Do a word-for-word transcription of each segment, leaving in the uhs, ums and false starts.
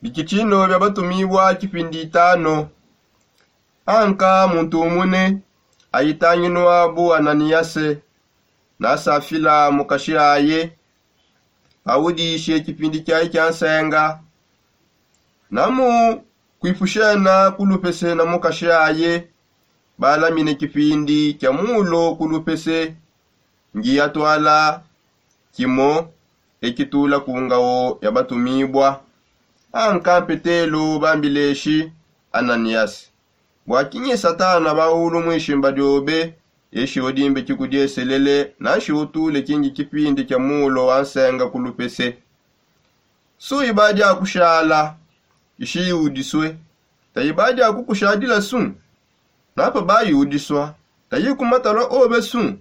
Bikitino bia batumibua kipindi itano. Anka muntu umune ayitanginuabu ananiyase, nasafila mukashi aye, audishe kipindi kiaye kia nsenga. Namu kuipushena kulupese na mukashi aye, balamine kipindi kia mulo kulupese. Ngi atwala kimo ekitula ku ngawo ya batumibua. Anka mpetelo bambileshi ananiyasi, bua kinyi satana baulu muishimba diobe? Eshi udimbe kikudieselele nanshi utule kingi kipindi kia mulo wa nsenga kulupese. Su ibadi akushala ishi iudisue, ta ibadi akukushadila su. Napa bayi udisua, tayi kumatalua obe su.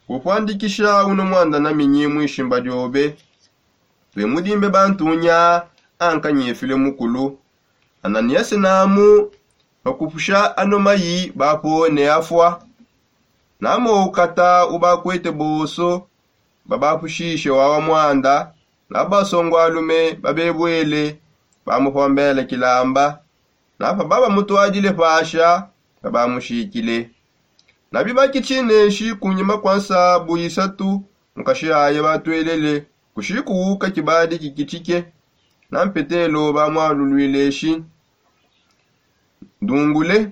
Kupuandikisha uno muanda naminyi muishimba diobe? Tuemudimbe bantunya. Anka nyefile mukulu ananiyase namu bakupusha anomayi bapone afua. Namu ukata ubakwete bonso babapushishe wawa muanda, na basongualume babebwele bamupombele kilamba. Napa babamutwadile pasha babamushikile. Nabi bakitshi neshi kunyima kua nsabu isatu mukashi aye batwelele kushiku uka kibadi kikitshike. Na mpetelo bamwalulwile eshi, ndungule,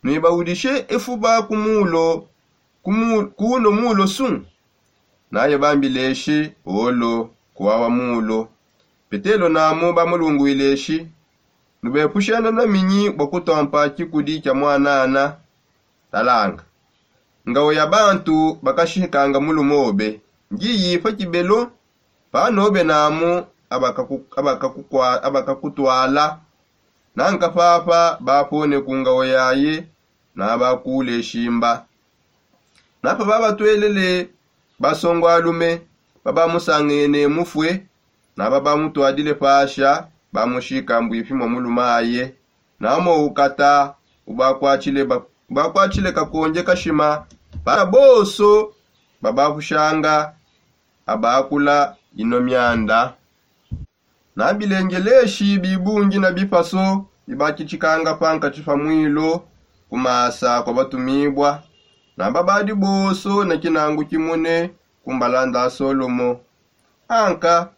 nuibaudishe efuba ku mulo kuno mulo su. Naye bambileshi olo kuwawa mulo. Petelo namu bamulunguileshi, nubepushana naminyi bua kutompa kikudi kia mwanana? Talanga, ngawo ya bantu bakashikanga mulumobe ngiyi pa kibelo. Panobe namu abakakutwala. Nanka papa bapone ku ngawo yaye nabakule shimba. Napa babatwelele basongualume babamusangene mufue, naba bamutwadile pasha bamushika mbuipi mua mulumaye. Namo ukata ubakwatshile kakonje kashima. Bana bonso babapushanga abakula ino mianda. Na bilengeleshi bibungi na bipaso bibakitshikanga pankatshi pa mwilo ku masa kua batumibua, na babadi bonso ne kinangu kimune ku mbalanda a solomo. Anka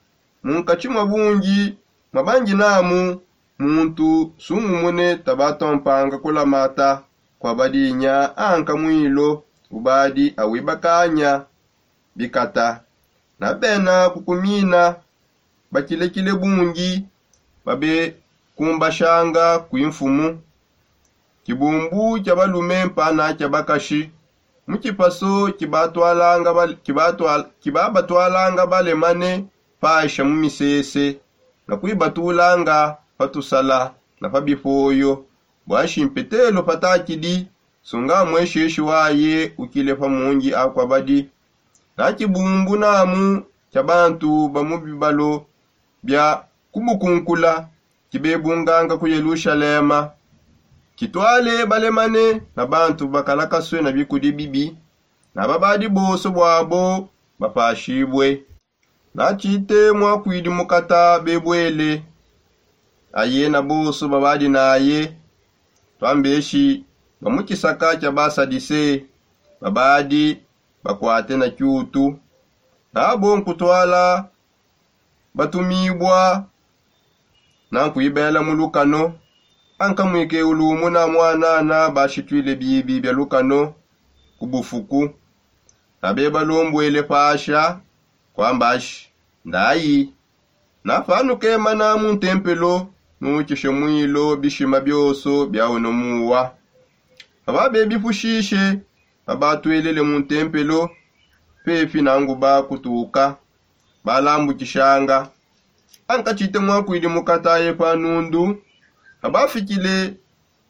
munkatshi mua bungi mua bangi namu muntu sungumune tabatompanga kulamata kua badinya anka mwilo ubadi awibakanya bikata. Na bena kukumina bakilekile bungi babekumbashanga kui mfumu. Kibumbu kia balume mpana kia bakashi mu kipaso kibabatwalanga balemane paisha mu misese na kuibatulanga pa tusala na pa bipoyo. Bua nshi mpetelo patakidi sunga muesheshi waye ukile pa mungi akua badi. Na kibumbu namu kia bantu ba mu bibalo bia kubukunkula kibebunganga ku Yelushalema kitwale balemane na bantu bakalakasue na bikudi bibi, na babadi bonso buabo bapashibue. Na tshite muakuidi mukata bebuele, aye na bonso babadi naye, tuambeshi ba mu kisaka kia Basadise, babadi bakuate na kiutu. Nabo nkutwala batumibua na nkuibela mu lukano. Anka muike ulumu na muanana bashituile bibi bia lukano ku bufuku, na bebalombuele pasha kuambashi, ndayi. Na panukemana mu ntempelo, nuukishe mwilo bishima bionso bia uno muwa. Pababebipushishe, babatwelele mu ntempelo pepi na nguba kutuka, balambukishanga. Anka tshite muakuidi mukataye pa nundu, pabafikile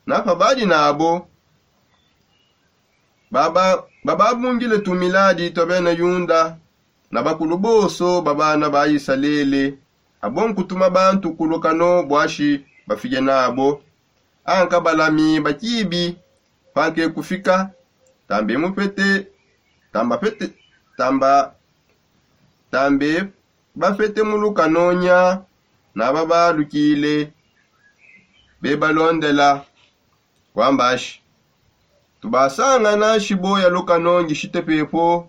na pabadi nabo, bababungile tumiladi tua bena Yuda na bakulu bonso ba bana ba Isalele, abo nkutuma bantu ku lukano buashi bafike nabo. Anka balami ba kibi panke kufika, tambe mupete, tamba pete, tamba tambe bapete mu lukanonya naba balukile bebalondela, wambashi, tubasangana shibo ya lukano ngishite pepo.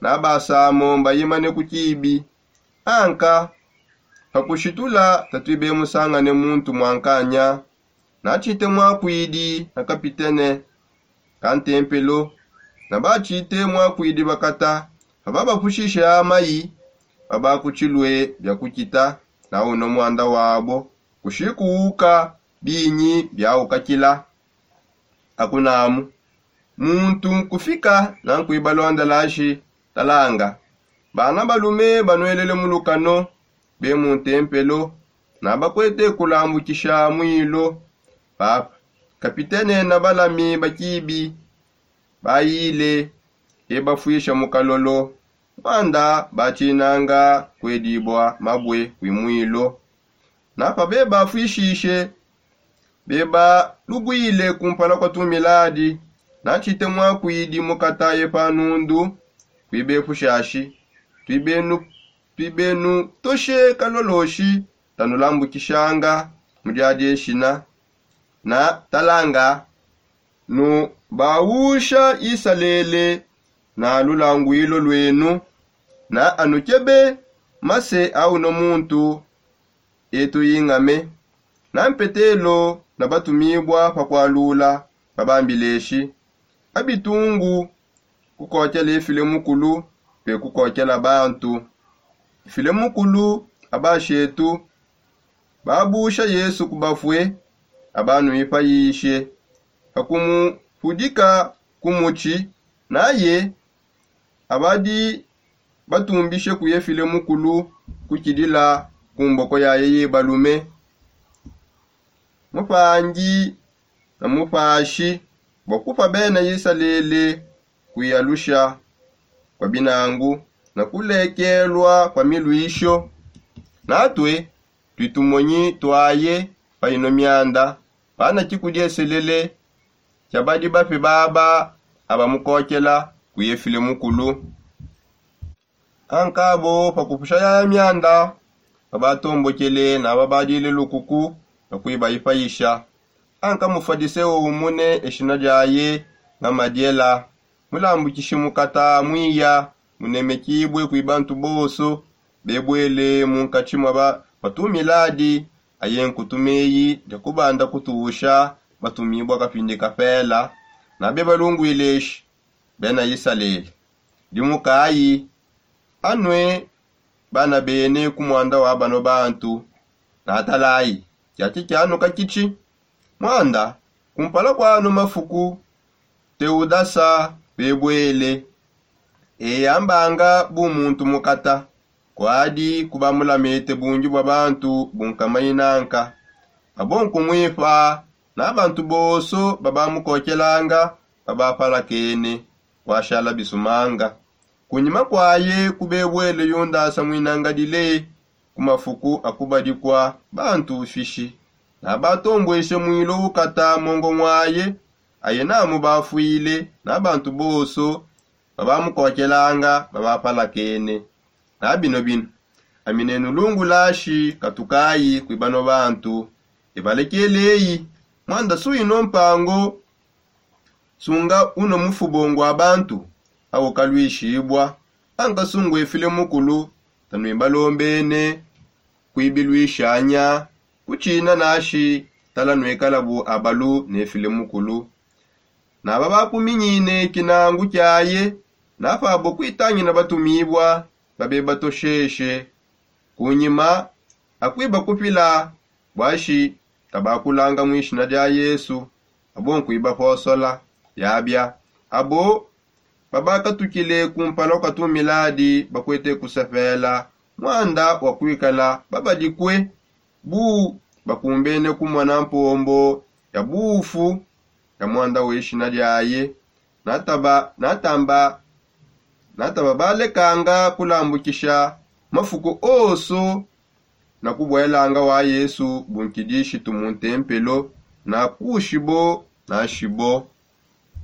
Nabasamo mbayimane ku kibi. Anka pakushitula tatwibemusangane muntu mwankanya. Natshite mwakwidi na kapitene ka ntempelo, nabatshite mwakwidi bakata. Pababapushishe amayi, babakutshilue bia kukita. Na uno mwanda wabo kushi kuwuka binyi biawukakila. Akunamu muntu nkufika na nkwibalondela nshi, talanga, bana balume banwelele mu lukano be mu ntempelo, na bakwete kulambukisha mwilo. Papa, kapitene na balami ba kibi bayile ebafwisha mu kalolo. Mwanda batshinanga kwedibua mabue kwi mwilo. Na pabebafwishishe bebalubwile kumpala kwa tumiladi, natshite mwakwidi mukataye pa nundu kwibepushashi, twibenu toshe kaloloshi tanulambukishanga mu diadi eshina. Na talanga, nubawusha isalele na lulangwilo lwenu, na anukebe mase a uno muntu etu ingame. Na mpetelo na batumibwa pa kualula babambileshi, abitungu kukokela efile mukulu pe kukokela bantu. Efile mukulu abashetu babusha yesu ku bafue, abanuipayishe pakumupudika ku mutshi. Naye abadi batumbishe kuye file mukulu kukidila ku mboko yaye ye balume, mupangi na mupashi bua kupa bena isalele kuyalusha kwa binangu na kulekelua kwa miluisho. Natue tuitumonyi tuaye pa ino mianda pana kikudieselele kia badi bape baba abamukokela kuye file mukulu. Ankabo pa kupusha yaya mianda babatombokele na babadile lukuku na kuibayipayisha. Anka mufadiseo umune eshina diaye nga madiela, mulambukishi mukata mwiya, munemekibue kwi bantu bonso bebuele munkatshi mua batumiladi aye nkutu meyi dia kubanda kutuusha batumibua kapindi kapela. Nabe balungwileshi bena isalele, dimukayi anue bana bene ku muanda wa bano bantu. Natalayi kiaki kianuka kitshi muanda kumpala kua ano mafuku teudasa bebuele. Eyambanga bu muntu mukata kuadi kubamulamete bungi bua bantu bunkamayi nanka. Abo nkumuipa na bantu bonso babamukokelanga babapalakene kuashala bisumanga. Kunyima kuaye kubebuele yundasa muinangadile ku mafuku akubadikua bantu fishi, na batombueshe mwilo ukata mongo ngwaye aye namu bafuile na bantu bonso babamukokelanga babapalakene. Na bino bino aminenu lungulashi katukayi kwi bano bantu. Ebalekeleyi muanda suino mpango sunga uno mufubo ngua bantu aukaluishibua. Anka sungua efile mukulu tanuibalombene kuibiluishanya kutshina nashi tala nuikalabu abalu ne file mukulu. Naba bakuminyine kinangu kiaye napabo kuitangina batumibua babe batosheshe. Kunyima akuibakupila buashi tabakulanga mu ishina dia yesu. Abo nkuibaposola yabia abo babakatukile kumpala kua tumiladi bakuete kusepela muanda wa kuikala babadikue bu bakumbene kumona mpombo ya bufu ya muanda weshina diaye. Nataba natamba nataba balekanga kulambukisha mafuku onso na kubuelanga wa yesu bunkidishitu mu ntempelo na kushibo na shibo.